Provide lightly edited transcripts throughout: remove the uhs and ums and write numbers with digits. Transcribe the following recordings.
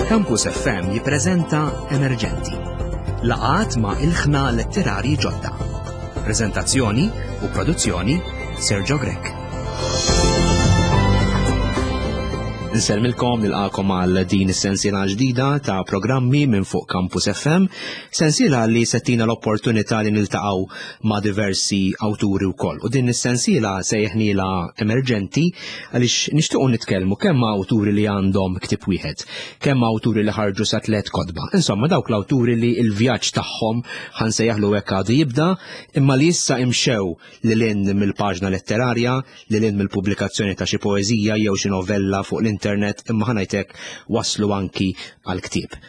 Campus FM jippreżenta Emerġenti. Laqat ma' ilħna letterari ġodda. Preżentazzjoni u produzzjoni Sergio Grech. Nsellmilkom nilqakom għal din is-sensiela ġdida ta' programmi minn fuq Campus FM, sensiela li settina l-opportunità li niltaqgħu ma' diversi awturi wkoll. U din is-sensiela sejħnila emerġenti għaliex nixtiequ nitkellmu kemm ma' awturi li għandhom ktieb wieħed, kemm ma' awturi li ħarġu sa tliet kotba. Insomma, dawk l-awturi li l-vjaġġ tagħhom ħansejjaħlu hekk għadu jibda, imma li issa imxew lil hinn mill-paġna letterarja, lil hinn mill-pubblikazzjoni ta' xi poeżija jew xi novella fuq l-internet, imma ħanajtek waslu anki għal ktieb.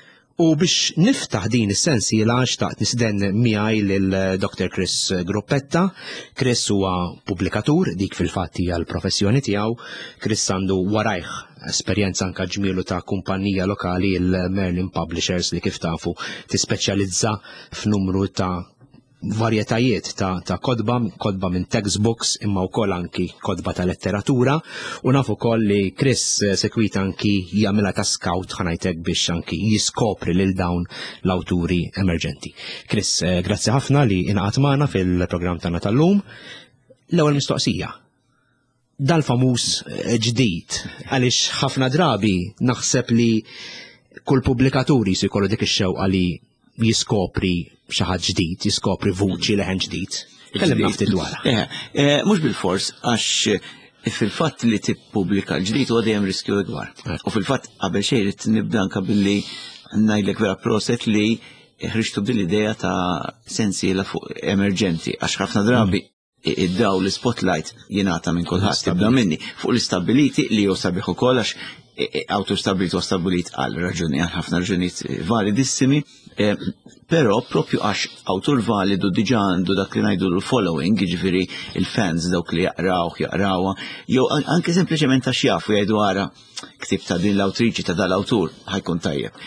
U biex niftaħ din is-sensiela xtaqt nisden miegħi lil Dr. Chris Gruppetta. Chris huwa pubblikatur, dik fil-fatt hija l-professjoni tiegħu. Chris għandu warajh esperjenza anka ġmielu ta' kumpanija lokali il-Merlin Publishers li kif tafu tispeċjalizza f'numru ta' varjetajiet ta', ta kotba, kotba minn textbooks imma wkoll anki kotba ta' letteratura u naf ukoll li Chris eh, sekwit anki jagħmilha ta' scout ħanajtek biex anki jiskopri lil dawn l-awturi emerġenti. Chris, eh, grazzi ħafna li inqat magħna fil-programm tagħna tal-lum. L-ewwel mistoqsija. Dal-famuż eh, ġdid għaliex ħafna drabi naħseb li kull pubblikaturi jsi jkollu dik ix-xewqa li jiskopri xi ħadd ġdid, jiskopri vuċi leħen ġdid. Kellimna ftit dwarha. Eh, eh, mhux bil-fors għax eh, fil-fatt li tippubblika l-ġdid huwa dejjem riskju ikbar. U fil-fatt qabel xejn irid nibda anke billi ngħidlek vera proset li ħriġtu bil idea ta' sensiela fuq emerġenti għax ħafna drabi mm. id-daw l-spotlight jingħata minn kulħadd tibda minni fuq l-istabiliti li jew sabiħ ukoll għax e, e, awtur stabilit u stabilit għal raġuni għal ħafna raġunijiet validissimi, e, però propju għax awtur validu diġà għandu dak li ngħidu l-following, jiġifieri il-fans dawk li jaqrawh, jaqrawha, jew anke sempliċement għax jafu jgħidu ara ktib ta' din l-awtriċi ta' dal-awtur ħajkun tajjeb.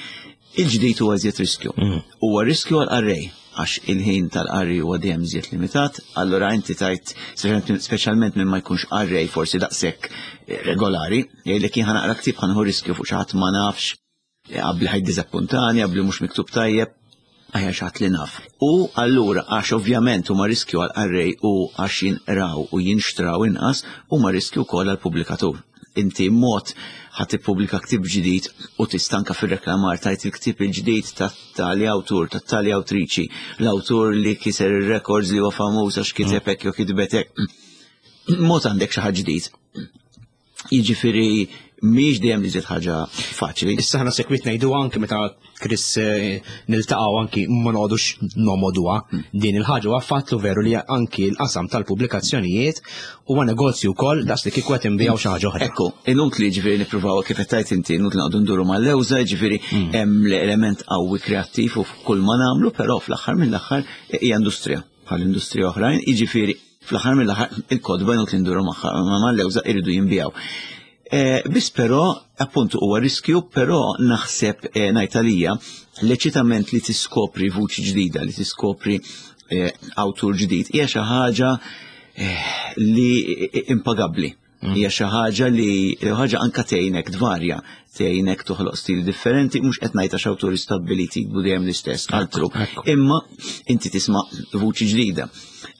Il-ġdid huwa iżjed riskju. Mm. Huwa riskju għal qarrej għax il-ħin tal-qari huwa dejjem iżjed limitat, allura inti tajt speċjalment minn ma jkunx qarrej forsi daqshekk eh, regolari, jgħidlek jien ħanaqra ktieb ħanħu riskju fuq xi ħadd ma nafx, eh, qabli ħaj diżappuntani, qabli mhux miktub tajjeb, aħjar xi ħadd li naf. U allura għax ovvjament huma riskju għal qarrej u għax jinqraw u jinxtraw inqas, huma riskju wkoll għall pubblikatur inti mod ħa tippubblika ktieb ġdid u tistanka fir-reklamar tajt il-ktieb il-ġdid ta' tali awtur, ta' tali awtriċi, l-awtur li kiser ir-records li huwa famuż għax kiteb hekk jew kitbet hekk. Mod għandek xi ħaġa ġdid. Jiġifieri mhix dejjem li ħaġa faċli. Issa ħna sekwit ngħidu anke meta Chris eh, niltaqgħu anki ma noqogħdux nomoduha hmm. din il-ħaġa huwa fatt veru li anki l-qasam tal-pubblikazzjonijiet huwa negozju wkoll daqs li kieku qed inbiegħu xi ħaġa oħra. Ekku, inutli ġifieri nippruvaw kif qed tgħid inti, inutli noqogħdu nduru mal-lewża, ġifieri hmm. hemm l-element qawwi kreattiv u kull ma nagħmlu, però fl-aħħar mill-aħħar hija industrija bħal industrija oħrajn, jiġifieri fl-aħħar mill-aħħar il-kodba inutli nduru magħha mal-lewża iridu jinbiegħu. Eh, biss però, appuntu huwa riskju, però naħseb eh, ngħid għalija l-eċitament li tiskopri vuċi ġdida, li tiskopri eh, awtur ġdid, hija xi ħaġa li impagabbli. Mm. Hija xi ħaġa li ħaġa anka tgħinek tvarja, tgħinek toħloq stil differenti, mhux qed ngħid għax awturi stabbiliti jikbu dejjem l-istess, altru. Imma inti tisma' vuċi ġdida.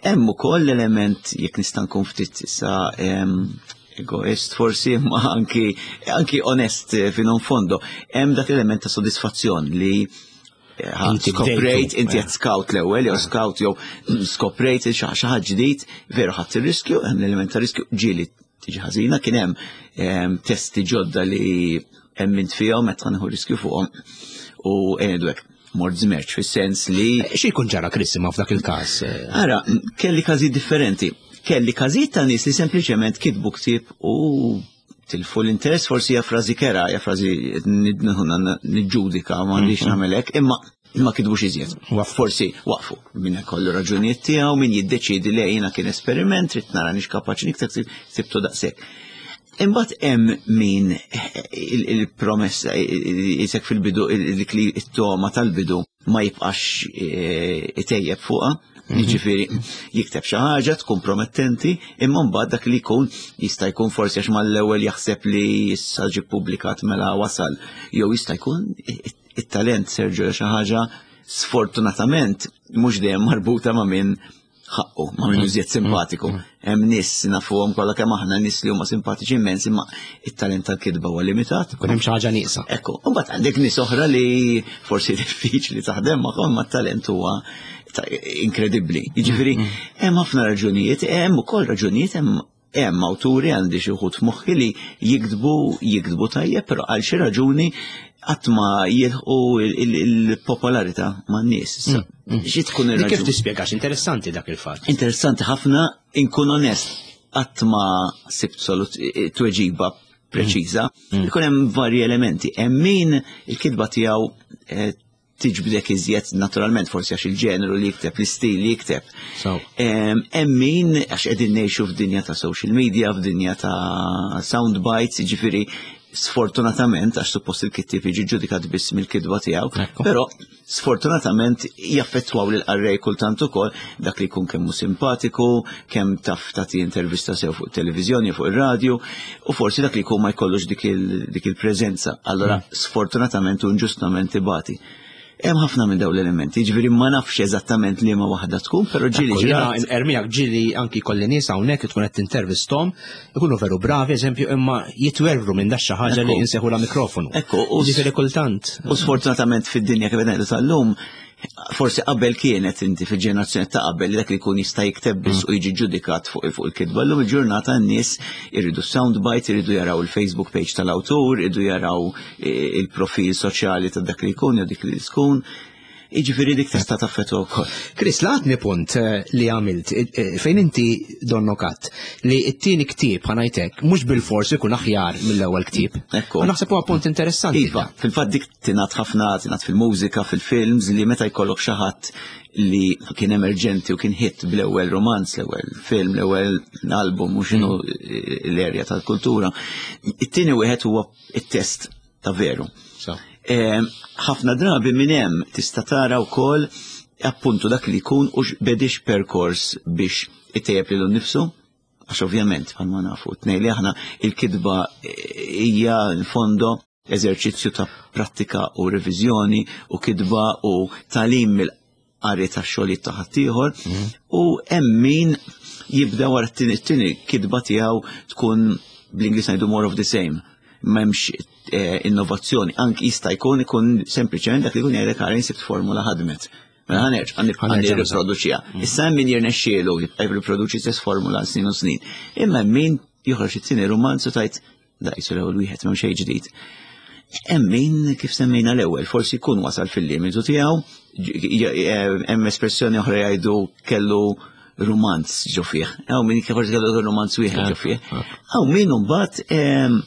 Hemm ukoll l-element jekk nista' nkun ftit issa egoist forsi imma anki anki onest eh, fino in fondo. Hemm dak element ta' sodisfazzjon li eh, skoprejt, inti qed scout l-ewwel jew scout jew skoprejt xi ħaġa ġdid, veru ħadd ir-riskju, hemm l-element ta' riskju ġieli tiġi ħażina, kien hemm ehm, testi ġodda li hemm int fihom qed nieħu riskju fuqhom u ngħidu hekk mort żmerċ fis-sens li. Eh, xi jkun ġara Chris imma f'dak il-każ? Eh? Ara, kelli każijiet differenti. Kelli każijiet ta' nies li sempliċement kitbu ktieb u tilfu l-interess forsi hija frażi kera, hija frażi niġġudika m'għandix mhm. nagħmel hekk, imma ma kitbux iżjed. Forsi waqfu minn kollu raġunijiet tiegħu, min jiddeċiedi li jiena kien esperiment, trid nara nix kapaċi nikteb sibtu daqshekk. Imbagħad hemm min il-promessa jisek fil-bidu dik li t-toma tal-bidu ma jibqax eh, itejjeb fuqha. Jiġifieri jikteb xi ħaġa tkun promettenti, imma mbagħad dak li jkun jista' jkun forsi għax mal-ewwel jaħseb li issa ġie ppubblikat mela wasal, jew jista' jkun it-talent Sergio xi ħaġa sfortunatament mhux dejjem marbuta ma' min ħaqqu, ma' min iżjed simpatiku. Hemm nies nafuhom kollha kemm aħna nies li huma simpatiċi immens imma it-talent tal-kitba huwa limitat. Kun hemm xi ħaġa nieqsa. Ekku, u mbagħad għandek nies oħra li forsi diffiċli taħdem magħhom ma t-talent huwa inkredibbli. Jiġifieri hemm ħafna raġunijiet, hemm ukoll raġunijiet hemm hemm awturi għandi xi wħud f'moħħi li jiktbu jiktbu tajjeb, però għal xi raġuni qatt ma jilħqu il-popolarità man-nies. Xi tkun ir Kif tispjegax interessanti dak il-fatt? Interessanti ħafna, inkun onest, qatt ma sibt tweġiba preċiża. Ikun hemm varji elementi. Hemm min il-kitba tiegħu eh, tiġbdek iżjed naturalment forsi għax il-ġeneru li jikteb, l-istil li jikteb. Hemm min għax qegħdin ngħixu f'dinja ta' social media, f'dinja ta' sound bites, jiġifieri sfortunatament għax suppost il-kittieb jiġi ġudikat biss mill-kitba tiegħu, però sfortunatament jaffettwaw lil qarrej kultant ukoll dak li jkun kemm hu simpatiku, kemm taf tagħti intervista sew fuq televiżjoni fuq ir-radju, u forsi dak li jkun ma jkollux dik il-preżenza. Allora sfortunatament u inġustament ibati. Hemm ħafna minn dawn l-elementi, ġifieri ma nafx eżattament liema waħda tkun, però ġieli ġieli. Ermijak ġieli anki kolli nies hawnhekk tkun qed tintervisthom, ikunu veru bravi, eżempju, imma jitwerru minn dax xi ħaġa li inseħu la mikrofonu. Ekku, u ġifieri kultant. U sfortunatament fid-dinja kif qed ngħidu tal-lum, forsi qabel kienet inti fil-ġenerazzjoni ta' qabel li dak li jkun jista' jikteb biss u jiġi ġudikat fuq fuq il-kitba. Llum il-ġurnata n-nies iridu sound bites, iridu jaraw il-Facebook page tal-awtur, iridu jaraw eh, il-profil soċjali ta' dak li jkun jew dik li tkun. Jiġifieri dik tista' taffettwa wkoll. Chris, laqatni punt eh, li għamilt eh, fejn inti donnokat li t-tieni ktieb ħanajtek mhux bil-fors ikun aħjar mill-ewwel ktieb. Ekku. Naħseb huwa punt interessanti. Iva, fil-fatt dik tingħad ħafna, tingħad fil-mużika, fil-films li meta jkollok xi ħadd li kien emerġenti u kien hit bl-ewwel romanz, l-ewwel film, l-ewwel album u x'inhu mm. l-erja tal-kultura. It-tieni wieħed huwa it-test ta' veru. Ħafna drabi minn hemm tista' tara wkoll appuntu dak li jkun u bedix perkors biex itejjeb lilu nnifsu. Għax ovvjament, bħalma nafu, tnej li aħna il-kitba hija fondo eżerċizzju ta' prattika u reviżjoni u kitba u tagħlim mill-qari ta' xogħlijiet ta' ħaddieħor mhm. u hemm min jibda wara t-tieni kitba tiegħu tkun bl-Ingliż ngħidu more of the same m'hemmx eh, innovazzjoni, anki jista' jkun ikun sempliċement dak li jkun jgħidlek għara sibt formula ħadmet. Mela ħanerġ, għandi riproduċija. Mm. Issa hemm min jirnexxielu jibqa' jirriproduċi stess formula snin u snin. Imma hemm min joħroġ it-tieni romanz u tajt Da jisu l-ewwel wieħed m'hemm xejn ġdid. Hemm min kif semmejna l-ewwel, forsi jkun wasal fil-limitu tiegħu, hemm espressjoni oħra jgħidu kellu romanz ġo fih. Hawn min forsi kellu romanz wieħed ġo fih. Hawn min imbagħad ehm,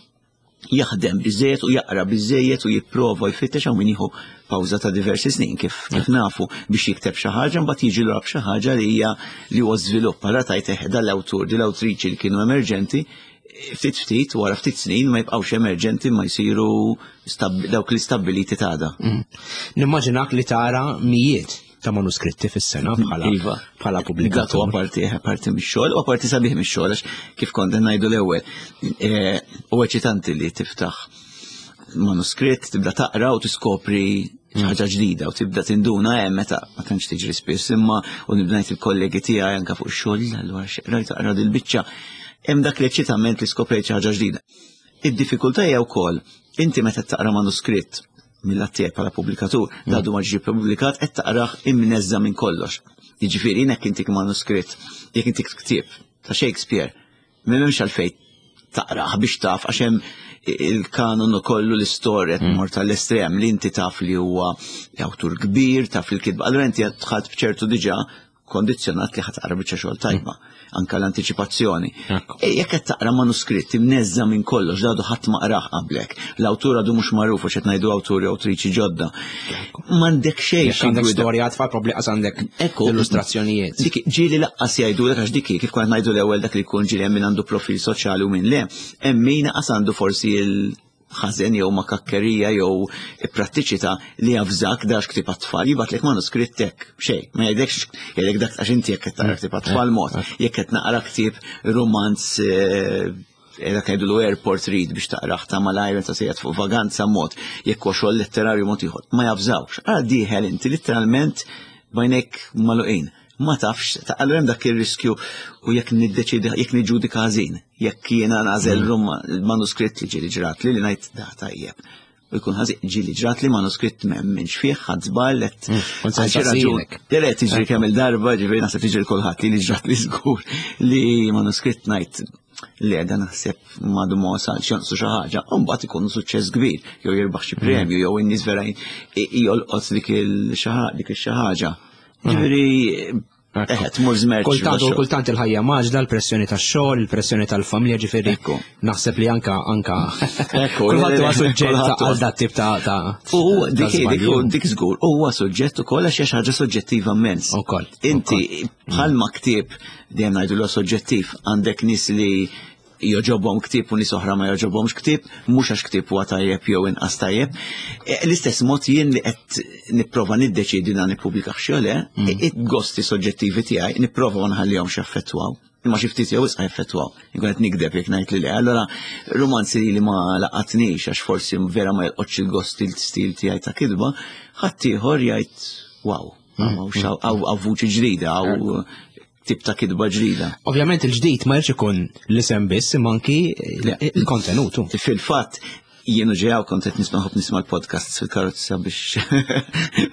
jaħdem biżejjed u jaqra biżejjed u jipprova jfittex hawn min jieħu pawża ta' diversi snin kif kif nafu biex jikteb xi ħaġa mbagħad jiġi lura b'xi ħaġa li hija li huwa żvilupp. Allura tajt eh, dal-awtur, dil-awtriċi li kienu emerġenti ftit ftit wara ftit snin ma jibqgħux emerġenti ma jsiru dawk li stabbiliti t'għada. Mm. Nimmaġinak li tara mijiet ta' manuskritti fis-sena bħala iva. bħala pubblikatur. Dak parti parti mix-xogħol u parti sabiħ mix-xogħol għax kif kont ngħidu l-ewwel. Eh, u eċitanti li tiftaħ manuskritt, tibda taqra u tiskopri ħaġa ġdida u tibda tinduna hemm meta ma tantx tiġri spiss imma u nibda ngħid il-kollegi tiegħi anke fuq ix-xogħol allura rajt taqra dil-biċċa. Hemm dak l-eċitament li skoprejt xi ħaġa ġdida. Id-diffikultà hija wkoll inti meta taqra manuskritt mill-att tiegħek bħala pubblikatur, mm. għadu ma ġie pubblikat qed taqrah imneżża minn kollox. Jiġifieri jekk intik manuskritt, jekk intik ktieb ta' Shakespeare, M'hemmx għalfejn taqrah biex taf għax hemm il-kanon u kollu l-istorja mm. tmur tal-estrem li inti taf li huwa awtur kbir, taf li l-kitba. Allura inti dħalt b'ċertu diġà kondizzjonat li ħatqra biċċa xogħol tajba, mm. anka l-antiċipazzjoni. E, jekk qed taqra manuskritt imneżża minn kollox dadu ħadd ma qrah qablek. L-awtur għadu mhux magħruf għax qed ngħidu awturi awtriċi ġodda. M'għandek xejn. Jekk għandek storja tfal probli qas għandek illustrazzjonijiet. Dik ġieli laqqas jgħidulek għax dik kif kont ngħidu l-ewwel dak li jkun ġieli hemm min għandu profil soċjali u min le, hemm min qas għandu forsi il ħażen jew makakkerija jew prattiċità li javżak dax ktieb għat-tfal, jibgħatlek manuskritt hekk, xejn, ma jgħidlekx jgħidlek dak għax inti jekk qed taqra ktieb għat-tfal mod, jekk qed naqra ktieb romanz eh, dak jgħidulu airport read biex taqraħ ta' malajr meta sejjed fuq vaganza mod, jekk huwa xogħol letterarju mod ieħor, ma javżawx. Ara dieħel inti litteralment bajnek maluqin. Ma tafx, ta' allura hemm dak ir-riskju u jekk niddeċidi, jekk niġġudika ħażin, jekk jiena nagħżel mm. manuskritt li ġieli ġrat li li ngħid da tajjeb. U jkun ħażin ġieli ġrat li manuskritt m'hemmx fih ħadd żball qed mm, Le tiġri kemm il-darba, ġifieri naħseb tiġri kulħadd li ġrat li żgur li manuskritt ngħid li għedha naħseb madu ma wasalx jonqsu xi ħaġa, u mbagħad ikun suċċess kbir, jew jirbaħ xi premju, jew in-nies vera jolqot dik il-xi ħaġa. Ġifieri Eħe, tmur żmerċ. Kultant u kultant il-ħajja maġla, l-pressjoni tax-xogħol, il-pressjoni tal-familja, ġifieri naħseb li anka anka. Kulħadd huwa suġġett għal dat tip ta' U dik dik dik żgur huwa suġġett ukoll għax hija xi ħaġa soġġettiva immens. Ukoll. Inti bħalma ktieb dejjem ngħidu l soġġettiv għandek nies li joġobhom ktieb u nies oħra ma joġobhomx ktieb, mhux għax ktieb huwa tajjeb jew inqas tajjeb. E, l-istess mod jien li qed nipprova niddeċiedi dan nippubblika xi le, mm. il-gosti soġġettivi tiegħi nipprova ma nħallihomx jaffettwaw. Imma xi ftit jew isqa jaffettwaw. Inkun qed nikdeb jekk ngħid li le. Allora romanzi li ma laqatnix għax forsi vera ma jolqotx il-gosti l-stil tiegħi ta' kitba, ħadd ieħor jgħid wow, għaw vuċi ġdida, għaw tip ta' kitba ġdida. Ovvjament il-ġdid ma jridx ikun l-isem biss imma anki il-kontenutu. Fil-fatt, jienu ġejaw kont qed nisma' ħobb nisma' l-podcasts fil-karozza biex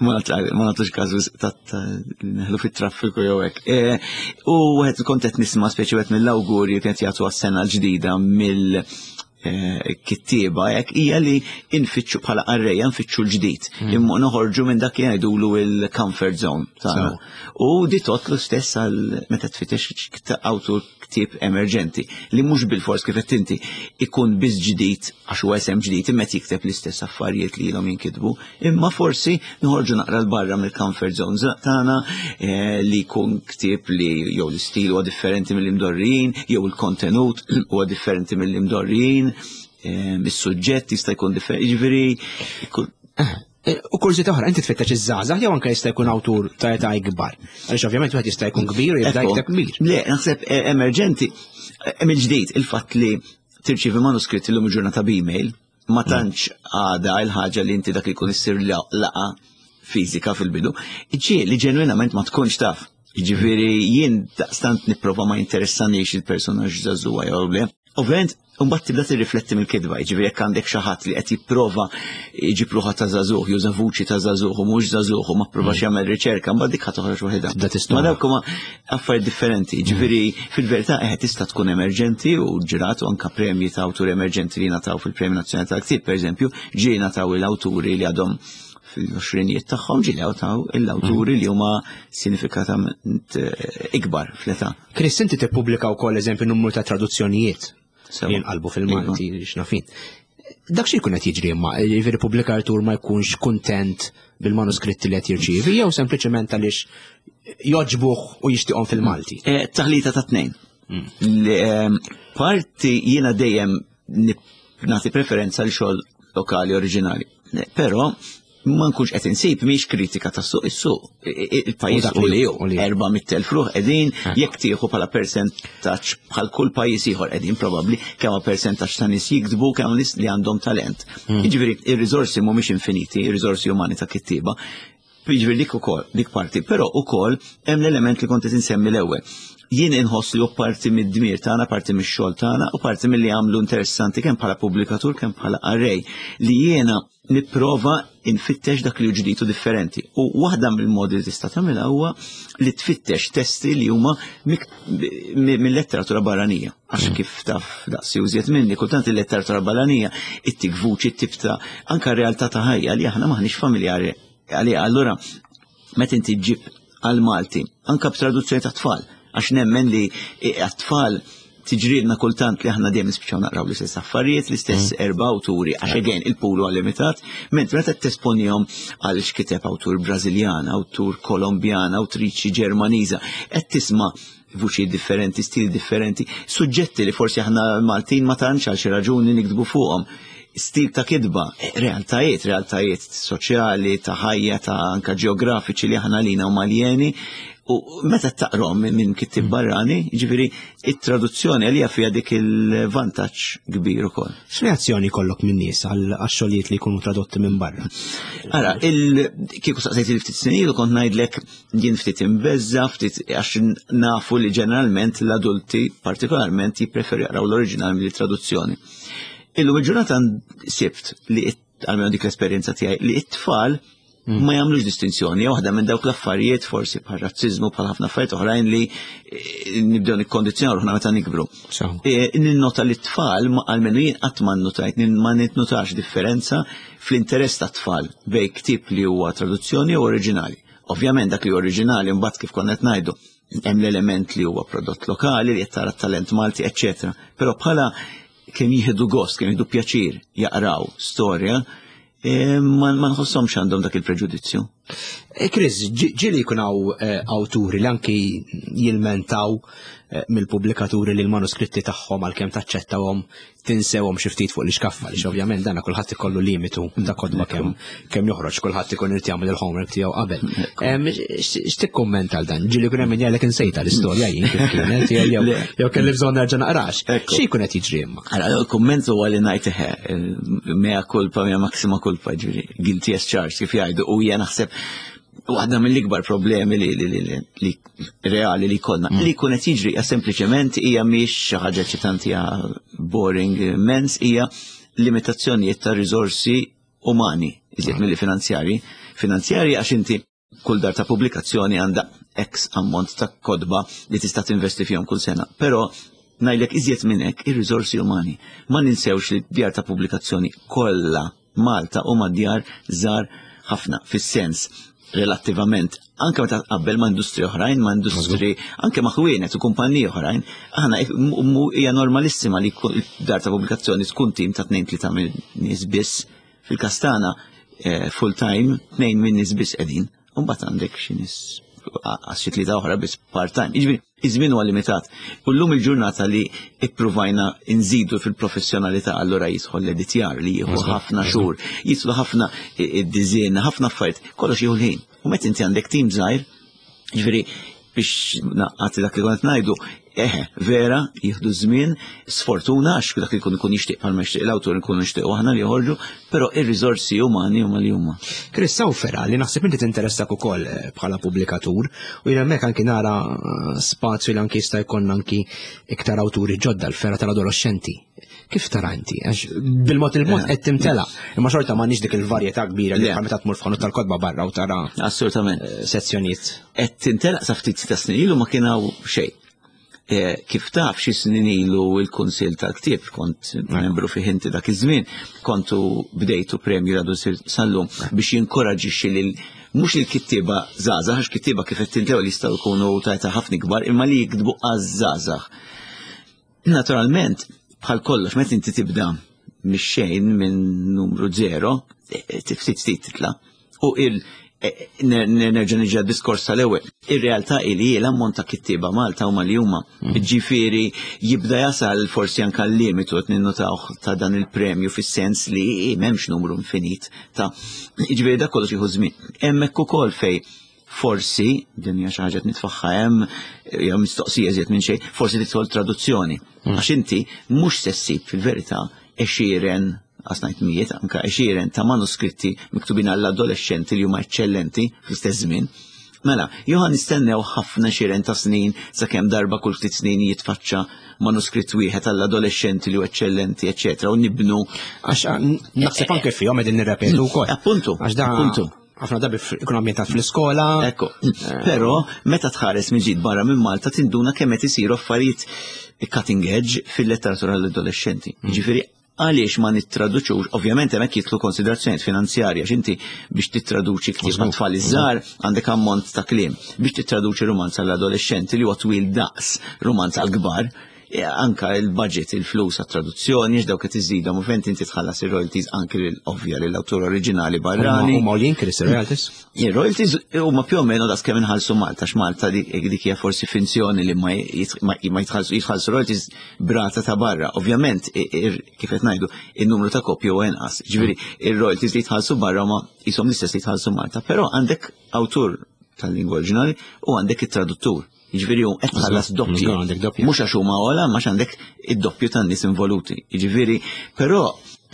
ma nagħtux każu ta' neħlu fit-traffiku jew hekk. E, u wieħed kont qed nisma' speċi wieħed mill-awgurji kienet jagħtu għas-sena l-ġdida mill Eh, kittieba hekk hija li nfittxu bħala qarrejja nfittxu l-ġdid. Hmm. Imma noħorġu minn dak li jgħidulu il-comfort zone tagħna. U di tot l-istess għal meta tfittex awtur ktieb emerġenti li mhux bil-fors kif qed inti ikun biss ġdid għax huwa esem ġdid imma jikteb l-istess affarijiet li ilhom jinkitbu, imma forsi noħorġu naqra l-barra mill-comfort zone tagħna eh, li jkun ktieb li jew l-istil huwa differenti mill-imdorrijin, jew il-kontenut huwa differenti mill-imdorrijin, eh, is-suġġett jista' jkun differenti, jiġifieri eh, U kurżità oħra, inti tfittex iż-żgħażagħ jew anke jista' jkun awtur ta' età ikbar. Għaliex ovvjament wieħed jista' jkun kbir u jibda jikteb kbir. Le, naħseb emerġenti, mill-ġdid il-fatt li tirċievi manuskritt illum il-ġurnata b'email, ma mm. tantx għada il-ħaġa li inti dak li jkun issir laqa fiżika fil-bidu, ġie li ġenwinament ma tkunx taf. Ġifieri jien daqstant nipprova ma jinteressanix il-personaġġ żagħżugħa jew le. Ovvjament, mbagħad tibda tirrifletti mill-kitba, jiġifieri jekk għandek xi ħadd li qed jipprova jġib ruħha ta' żagħżugħ, juża vuċi ta' żagħżugħ u mhux żagħżugħ u ma pprovax mm. jagħmel riċerka, mbagħad dik ħa toħroġ waħedha. Ma dawk huma affarijiet differenti, ġifieri fil-verità eħe tista' tkun emerġenti u ġrat u anka premji ta' awturi emerġenti li ngħataw fil-Premju Nazzjonali tal-Ktieb, pereżempju, ġie ngħataw il-awturi li għadhom fil-20 tagħhom ġie ngħataw l-awturi li huma sinifikatament eh, ikbar fl-età. Chris, inti tippubblika wkoll eżempju numru ta' traduzzjonijiet li jinqalbu fil-Malti iva. x'nafin. Dak xi jkun qed jiġri imma, jiġifieri pubblikatur ma jkunx kuntent bil-manuskritti li qed jirċievi jew sempliċement għaliex joġbuh u jixtieqhom fil-Malti. Eh, taħlita ta' tnejn. Mm. Ehm, parti jiena dejjem nagħti preferenza l xogħol lokali oriġinali. Però ma nkunx qed insib mhix kritika tas-suq is-suq. Il-pajjiż u li hu 400,000 ruħ qegħdin eh. jekk tieħu bħala persentaġġ bħal kull pajjiż ieħor qegħdin probabbli kemm persentaġġ ta' nies jiktbu kemm nies li għandhom talent. Hmm. Jiġifieri ir-riżorsi mhumiex infiniti, ir-riżorsi umani ta' kittieba. Jiġifieri dik ukoll dik parti, però ukoll hemm l-element li kont qed insemmi l-ewwel jien inħoss li hu parti mid-dmir tagħna, parti mix-xogħol tagħna u parti milli għamlu interessanti kemm bħala pubblikatur kemm bħala qarrej li jiena nipprova nfittex dak li hu ġdid u differenti. U waħda mill-modi li tista' tagħmilha huwa li tfittex testi li huma mill-letteratura barranija. Għax mm. kif taf daqsi użjed minni, kultant il-letteratura barranija ittik vuċi tip ta' anka realtà ta' ħajja li aħna maħniex familjari għaliha. Allura meta inti ġib għal-Malti, anka b'traduzzjoni ta' tfal, għax nemmen li għat-tfal tiġrilna kultant li aħna dejjem nispiċċaw naqraw l-istess affarijiet, l-istess mm. erba' awturi, għax again il-pool huwa limitat, mentri meta tesponihom għal x'kiteb awtur Brażiljan, awtur Kolombjan, awtriċi Ġermaniża, qed tisma' vuċi differenti, stil differenti, suġġetti li forsi aħna Maltin ma tantx għal xi raġuni niktbu fuqhom. Stil ta' kitba, realtajiet, realtajiet soċjali, ta' ħajja, ta' anka ġeografiċi li aħna lina u maljeni, u meta taqrom minn kittib barrani, ġifieri it-traduzzjoni għalija fiha dik il-vantaġġ kbir ukoll. X'reazzjoni kollok minn nies għal xogħlijiet li jkunu tradotti minn barra? Ara, kieku saqsejt il ftit snin ilu kont ngħidlek jien ftit imbeżza, ftit għax nafu li ġeneralment l-adulti partikolarment jippreferu jaqraw l-oriġinal mill-traduzzjoni. Illum il-ġurnata sibt li għalmenu dik l-esperjenza tiegħi li it-tfal ma jagħmlux distinzjoni, waħda minn dawk l-affarijiet forsi bħal razziżmu bħal ħafna affarijiet oħrajn li eh, nibdew nikkondizzjonaw ruħna meta nikbru. Eh, ninnota li t-tfal għalmenu jien qatt ma nnotajt, ma nitnotax differenza fl-interess tat-tfal bej ktieb li huwa traduzzjoni u oriġinali. Ovvjament dak li oriġinali mbagħad kif konna qed ngħidu hemm l-element li huwa prodott lokali li qed tara talent Malti, eċċetera. Però bħala kemm jieħdu gost, kemm jieħdu pjaċir jaqraw storja, eh, ma nħossomx għandhom dak il-preġudizzju. Eh, Chris, ġieli jkun hawn eh, awturi li anki jilmentaw mill-pubblikaturi li l-manuskritti tagħhom għalkemm taċċettawhom tinsewhom xi ftit fuq l-iskaffa li ovvjament dana kulħadd ikollu limitu ta' kodba kemm kemm joħroġ kulħadd ikun irid jagħmel il-homework tiegħu qabel. X'tikkumment għal dan? Ġieli jkun hemm min jgħidlek insejta l-istorja jien kif kienet jew kelli bżonn nerġa' naqrax. Xi jkun qed jiġri imma? Ara, il-kumment huwa li ngħid eħe, mea culpa, mea maxima culpa, ġifieri guilty as charged kif jgħidu u hija naħseb waħda mill-ikbar problemi li, li, li, li reali li jkollna. Mm. Li jkun qed jiġri hija sempliċement hija mhix xi ħaġa eċitanti hija boring immens hija limitazzjonijiet ta' riżorsi umani, iżjed mm. milli finanzjari. Finanzjari għax inti kull dar ta' pubblikazzjoni għandha X ammont ta' kodba li tista' tinvesti fihom kull sena. Però ngħidlek iżjed minn hekk ir-riżorsi umani. Ma ninsewx li djar ta' pubblikazzjoni kollha Malta huma djar żgħar ħafna fis-sens relattivament anke meta tqabbel ma' industri oħrajn, ma' industri anke ma' ħwienet u kumpaniji oħrajn, aħna hija normalissima li dar ta' pubblikazzjoni tkun tim ta' tnejn tlieta minn nies biss. Fil-każ tagħna eh, full time tnejn minn nies biss qegħdin. U mbagħad għandek xi nies għas xi tlieta oħra biss part-time. Jiġifieri, iż-żmien huwa limitat. U llum il-ġurnata li ippruvajna nżidu fil-professjonalità allura jidħol l-editjar li jieħu ħafna xhur, jidħlu ħafna id-diżin, ħafna affarijiet, kollox jieħu l-ħin. U meta inti għandek tim żgħir, jiġifieri biex naqqati dak li kont ngħidu, eħe, vera, jieħdu żmien, sfortuna għax dak li jkun ikun jixtieq bħalma jixtieq l-awtur nkunu nixtiequ aħna li joħorġu, però ir-riżorsi umani huma li huma. Chris Sawfera li naħseb inti tinteressak ukoll eh, bħala pubblikatur u jien hemmhekk anki nara eh, spazju li anki jista' jkollna anki iktar awturi ġodda l-fera tal-adolescenti. Kif tara inti? Għax bil-mod il-mod qed timtela. Imma xorta m'għandniex dik il-varjetà kbira li bħal meta tmur f'ħanut tal-kotba barra u tara. Assolutament. Eh, sezzjonijiet. Qed timtela sa ftit ta' snin ilu ma kien hawn xejn. Eh, kif taf xi snin ilu il-Kunsill tal-Ktieb kont membru fih inti dak iż-żmien, kontu bdejtu premju għadu sallum biex jinkoraġixxi lil mhux il-kittieba żgħażagħ, għax kittieba kif qed tintew li jistgħu jkunu ta' ħafna kbar, imma li jiktbu għaż-żgħażagħ. Naturalment, bħal kollox, meta inti tibda mix-xejn minn numru zero, e, e, ftit ftit titla. U il e, nerġa' niġi diskors tal-ewwel. Ir-realtà li l-ammont ta' kittieba Malta huma li huma. Mm. Ġifieri jibda jasal forsi anke l-limitu qed ninnotawh ta' dan il-premju fis-sens li m'hemmx numru infinit ta' ġifieri dak kollox jieħu żmien. Hemmhekk ukoll fej forsi, din hija xi ħaġa nitfaħħa hemm, jew mistoqsija iżjed minn xejn, forsi tidħol traduzzjoni. Mm. Għax inti mhux se ssib fil-verità għexieren għasnajt mijiet, anka għexieren ta' manuskritti miktubin għall-adolescenti li huma eċċellenti fl-istess żmien. Mela, Johan nistennew ħafna xiren ta' snin sakemm darba kull ftit snin jitfaċċa manuskritt wieħed għall-adolescenti li hu eċċellenti, eċċetera, u nibnu. Għax naħseb anke fihom qegħdin nirrepetu wkoll. Appuntu. Għax da appuntu. Ħafna drabi ikun ambjentat fl-iskola. Ekku. Però meta tħares minn ġid barra minn Malta tinduna kemm qed isiru affarijiet cutting edge fil-letteratura l-adolescenti. Mm. Ġifieri għaliex ma nittraduċux, ovvjament hemmhekk jitlu konsiderazzjonijiet finanzjarja, x'inti biex tittraduċi ktieb ma' tfal iż-żgħar għandek ammont ta' kliem. Biex tittraduċi rumanz għall-adolescenti li huwa twil daqs rumanz għall-kbar, Anka il-budget, il-flus għat-traduzzjoni, x'dawk qed iżidhom u fejn inti tħallas ir-royalties anki l-ovvja lill-awtur oriġinali barrani. Huma għoljin Chris ir-royalties? Ir-royalties huma più o meno daqs kemm inħallsu Malta, x'Malta dik hija forsi finzjoni li ma jitħallsu jitħallsu royalties brata ta' barra. Ovvjament, kif qed ngħidu, in-numru ta' kopji huwa inqas. Ġifieri, ir-royalties li jitħallsu barra huma qishom l-istess li jitħallsu Malta, però għandek awtur tal-lingwa oriġinali u għandek it-traduttur. Jiġifieri hu qed tħallas doppju. Mhux għax huma ogħla, ma għandek id-doppju tan-nies involuti. Jiġifieri, però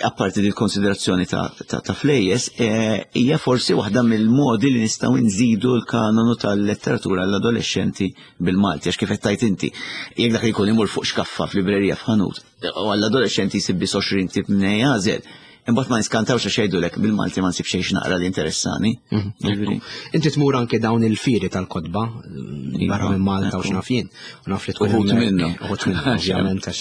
apparti di konsiderazzjoni ta' flejjes, eh, hija forsi waħda mill-modi li nistgħu nżidu l-kanonu tal-letteratura għall-adolescenti bil-Malti, għax kif qed tajt inti, jekk dak li jkun imur fuq xkaffa f'librerija f'ħanut, u għall-adolescenti jsib biss 20 tip minn jagħżel, Imbagħad ma niskantawx għax jgħidulek bil-Malti ma nsib xejn naqra li interessani. Mhm. Inti tmur anke dawn il-fieri tal-kotba mm, barra minn Malta u x'naf jien. U naf li tkun uħut minnhom. Uħut minnhom, ovvjament għax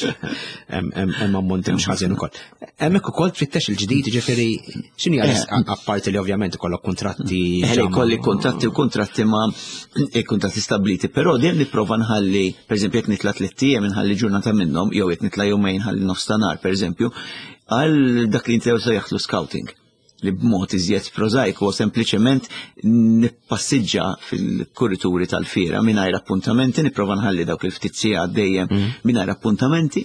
hemm ammonti mhux ħażin ukoll. Hemmhekk ukoll tfittex il-ġdid, ġifieri x'inhi eh. apparti li ovvjament ikollok kuntratti. Eh, kolli kuntratti u kuntratti ma eh, kuntratti stabiliti, però dejjem nipprova nħalli, pereżempju jekk nitla' tliet ijiem nħalli ġurnata minnhom, jew jekk nitla' jumejn nħalli nofs ta' nhar, pereżempju, għal dak li jintew sejjaħlu scouting li b'mod iżjed prożajku u sempliċement nippassiġġa fil-kurituri tal-fiera mingħajr appuntamenti, nipprova nħalli dawk il-ftit sigħat dejjem mm. mingħajr appuntamenti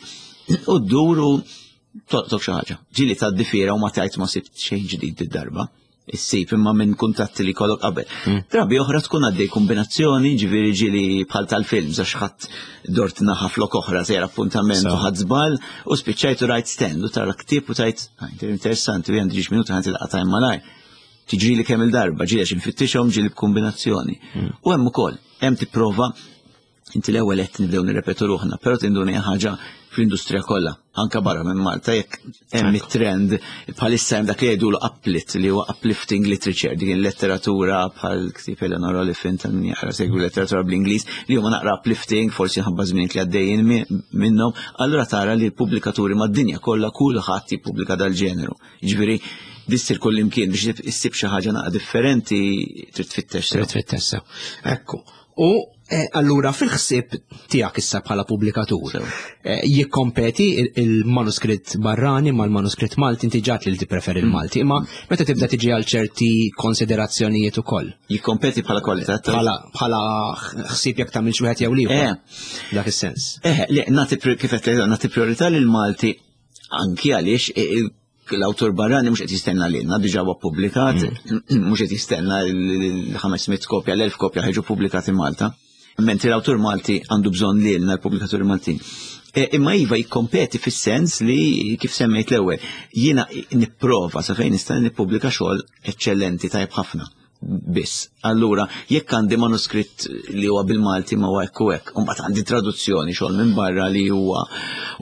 u ddur u toqtok xi ħaġa. Ġieli tgħaddi fiera u ma tgħid ma sibt xejn ġdid id-darba issib imma minn kuntatti li kollok qabel. Mm. Drabi oħra tkun għaddej kombinazzjoni, ġifieri ġieli bħal tal-films għax ħadd dort naħa flok oħra sejr appuntament u ħadd żball u spiċċajt u rajt stand u tara ktieb u tajt ah, interessanti u għandi ġiex minuta ħanti laqgħa tajn malaj. Tiġri li kemm il-darba, ġieli għax infittixhom ġieli b'kombinazzjoni. Mm. U hemm ukoll, hemm tipprova Inti l-ewwel qed nibdew nirrepetu ruħna, però tinduna hija ħaġa fl-industrija kollha, anka barra minn Malta jekk hemm it-trend bħalissa hemm dak li jgħidulu uplift li huwa uplifting literature, dik il-letteratura bħal ktieb Eleanor Oliphant tal min jaqra segwi letteratura bl-Ingliż li huma naqra uplifting forsi ħabba żmien li għaddejjin minnhom, allura tara li l-pubblikaturi mad-dinja kollha kulħadd jippubblika dal-ġeneru. Jiġifieri dissir kull imkien biex issib xi ħaġa naqa differenti trid tfittex. Trid tfittex sew. Ekku. U eh, allura fil-ħsieb tiegħek issa bħala pubblikatur, eh, jikkompeti il-manuskritt barrani mal-manuskritt Malti inti ġat li tippreferi mm. il-Malti, imma meta tibda tiġi għal ċerti konsiderazzjonijiet ukoll. Jikkompeti bħala kwalità bħala ħsieb jekk tagħmel xi wieħed jew ieħor. Eh. Dak is-sens. Eh, le, nagħti kif qed nagħti priorità lil Malti anki għaliex l-awtur barrani mhux qed jistenna lilna, diġà huwa ppubblikat, mm. mhux qed jistenna l-500 kopja, l-1000 kopja ħeġu pubblikati Malta. Mentri l-awtur Malti għandu bżonn lilna l-pubblikaturi Maltin. E, imma iva jikkompeti fis-sens li kif semmejt l-ewwel, jiena nipprova sa fejn nista' nippubblika xogħol eċċellenti tajjeb ħafna biss. Allura, jekk għandi manuskritt li huwa bil-Malti ma huwa hekk u hekk, u mbagħad għandi traduzzjoni xogħol minn barra li huwa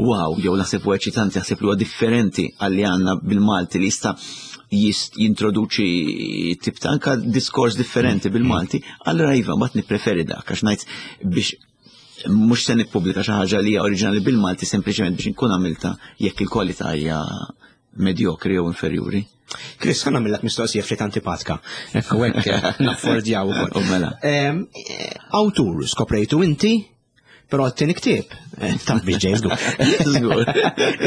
wow, jew naħseb huwa eċitanti, naħseb li huwa differenti għal li għandna bil-Malti li jista' jintroduċi tip ta' anka diskors differenti bil-Malti, allura iva mbagħad nippreferi dak għax ngħid biex mhux se nippubblika xi ħaġa li hija oriġinali bil-Malti sempliċement biex inkun għamilta jekk il-kwalità hija medjokri jew inferjuri. Chris, ħana millak mistoqsija ftit antipatka. Ekku hekk eh, naffordjaw ukoll. Mela. Eh, awtur skoprejtu inti, però t-tieni ktieb, eh, taf biex ġej żgur.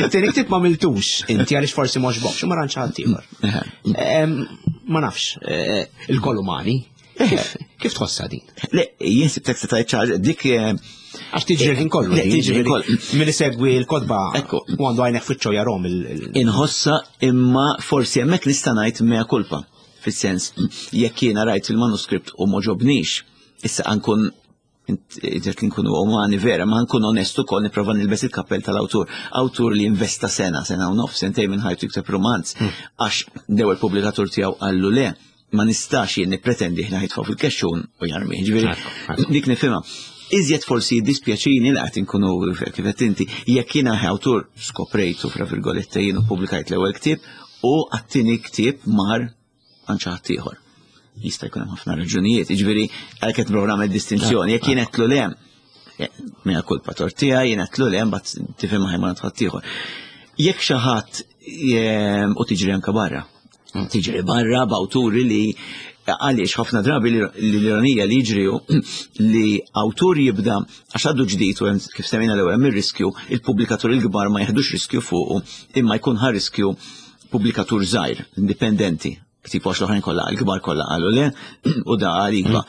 It-tieni ktieb ma miltux inti għaliex forsi mhux bokx, ma rantx ħadd ieħor. Ma nafx, il-koll umani, Kif tħossha din? Le, jien sibtek se tajt ċaġa, dik. Eh, Għax tiġri l-ħin kollu. Le, tiġri l kollu. Min isegwi l-kodba, ekku, u għandu għajnek fiċċo jarom il. Inħossa imma forsi hemmhekk nista' ngħid mea culpa. Fis-sens, jekk jiena rajt il-manuskript u moġobnix, issa għankun Ġet li nkunu umani vera, ma nkun onestu kol niprofa nilbes il-kappell tal-awtur. Awtur li investa sena, sena u nof, sentej minn ħajtu jikteb romanz, hmm. għax l-ewwel pubblikatur tiegħu qallu le, ma nistax jien nippretendi ħna jitfgħu fil-kexxun u jarmi. Ġifieri dik nifhimha. Iżjed forsi jiddispjaċini li qed inkunu kif qed inti, jekk jiena awtur skoprejtu fra virgolette jien u pubblikajt l-ewwel ktieb u għat-tieni ktieb mar għand xi ħadd ieħor. Jista' jkun hemm ħafna raġunijiet, jiġifieri għalhekk qed nipprova nagħmel distinzjoni, jekk jien qedtlu le, eh, minn kulpa tortija, jien qedtlu le, mbagħad tifhem ħaj ma ħadd ieħor. Jekk xi ħadd eh, u tiġri anke barra. Tiġri barra b'awturi li għaliex ħafna drabi l-ironija li jiġri li awtur jibda għax għadu ġdid u kif semmejna l-ewwel hemm ir-riskju, il-pubblikatur il-kbar ma jeħdux riskju fuqu imma jkun ħa riskju pubblikatur żgħir, indipendenti, tipo għax l-oħrajn kollha l-kbar kollha qalu le u da qal iva.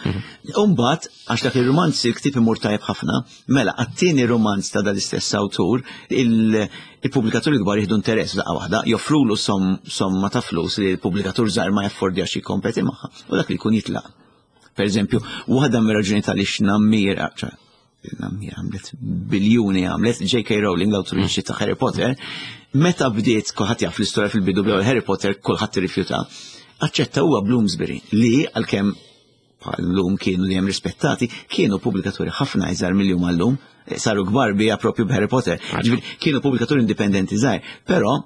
Umbagħad għax dak ir-rumanz il-ktieb imur tajjeb ħafna, mela għat-tieni rumanz ta' dal-istess awtur il-pubblikaturi kbar jieħdu interess daqqa waħda, joffrulu somma ta' flus li l-pubblikatur żgħir ma jaffordjax jikkompeti magħha u dak li jkun jitlaq. Per eżempju, waħda mir-raġuni tal-ix nammira, nammira għamlet biljuni għamlet J.K. Rowling, l-awtriċi ta' Harry Potter, meta bdiet kulħadd jaf l-istorja fil-bidu bl Harry Potter kulħadd irrifjuta. Aċċetta huwa Bloomsbury li għalkemm bħal-lum kienu dejjem rispettati, kienu pubblikaturi ħafna iżgħar mill-jum għallum, saru kbar bija propju b'Harry Potter. Ġifieri kienu pubblikaturi indipendenti żgħar, però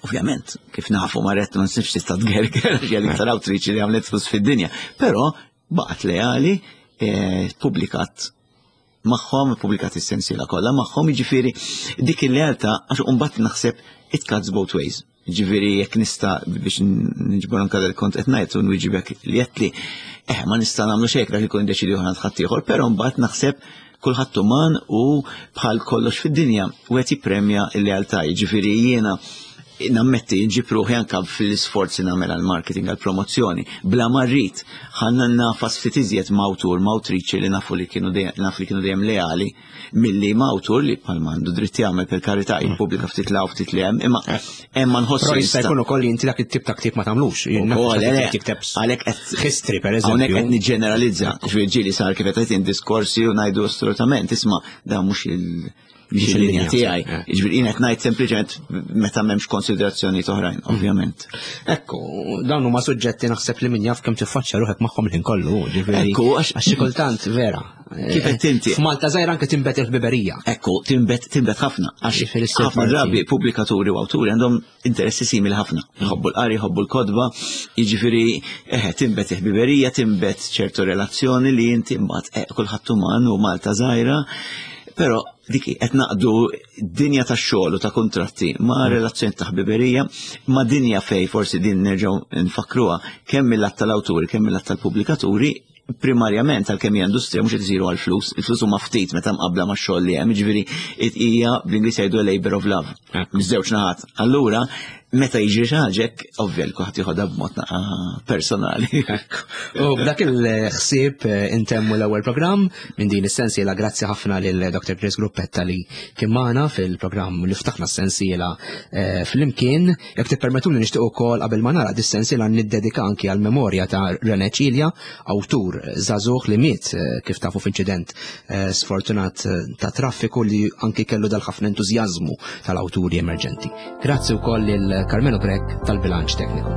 ovvjament kif nafu marret ma nsibx tista' tgerger għax hija l-iktar awtriċi li għamlet flus fid-dinja, però baqgħet leali, eh, publikat magħhom, publikat is-sensiela kollha magħhom, jiġifieri dik il-lealtà għax imbagħad naħseb it cuts both ways. Ġifieri jekk nista' biex niġbor anke dal kont qed ngħid u nwieġibek li qed li eh ma nista' nagħmlu xejn dak ikun deċidi ħadd ħaddieħor, però mbagħad naħseb kulħadd uman u bħal kollox fid-dinja u qed jippremja l-lealtà. Jiġifieri jiena nammetti nġib ruħi anka fil-isforzi nagħmel għall-marketing għall-promozzjoni. Bla ma rrid ħanna nafas ftit iżjed ma' awtur ma' awtriċi li nafu li kienu naf li kienu dejjem leali milli ma' awtur li bħal għandu dritt jagħmel per karità jippubblika ftit la ftit li hemm, imma hemm ma nħossu. Però jista' jkun ukoll inti dak it-tip ta' ktieb ma tagħmlux. Għalhekk qed history pereżempju. Hawnhekk qed niġġeneralizza, ġifieri sar kif qed diskorsi u ngħidu assolutament, isma' dan mhux il- mhix il-linja tiegħi. Eh. Jiġifieri jien qed ngħid sempliċement meta m'hemmx konsiderazzjonijiet oħrajn, mm. ovvjament. Ekku, dawn huma suġġetti naħseb li min jaf kemm tiffaċċja ruħek magħhom il-ħin kollu, ġifieri. Ekku, għax xi kultant vera. Kif qed inti? F'Malta żgħira anke tinbet il-ħbiberija. Ekku, tinbet tinbet ħafna għax ħafna drabi pubblikaturi u awturi għandhom interessi simili ħafna. Jħobbu l-qari, jħobbu l-kodba, jiġifieri eħe tinbet il-ħbiberija, tinbet ċertu relazzjoni li inti mbagħad eh, kulħadd uman u Malta żgħira. Però dik qed naqdu dinja ta' xogħol u ta' kuntratti ma' mm. relazzjoni ta' ħbiberija, ma' dinja fej forsi din nerġgħu nfakruha kemm mill-att tal-awturi, kemm mill-att tal-pubblikaturi primarjament għalkemm hija industrija mhux qed isiru għall-flus, il-flus huma ftit meta mqabbla max-xogħol li hemm, jiġifieri hija bl-Ingliż jgħidu labor of love, miż-żewġ naħat. Allura, meta jiġri xi ħaġa hekk, ovvja li kulħadd jieħodha b'mod naqa' personali. U b'dak il-ħsieb eh, intemmu l-ewwel programm minn din is-sensiela grazzi ħafna lil Dr. Chris Gruppetta li kien magħna fil-programm li ftaħna s-sensiela eh, flimkien. Jekk tippermettuli nixtieq ukoll qabel ma nagħlaq dis-sensiela niddedika anki għall-memorja ta' René Cilia, awtur żagħżugħ li miet eh, kif tafu f'inċident eh, sfortunat eh, ta' traffiku li anki kellu dal-ħafna entużjażmu tal-awturi emerġenti. Grazzi wkoll lil Carmelo Grech tal-bilanċ tekniku.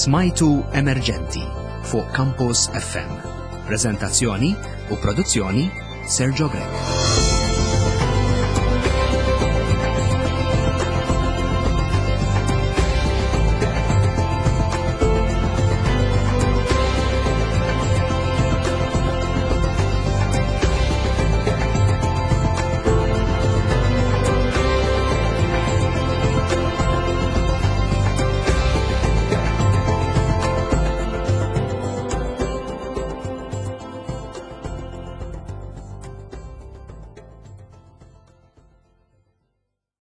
Smajtu Emerġenti fuq Campus FM. Prezentazzjoni u produzzjoni Sergio Grech.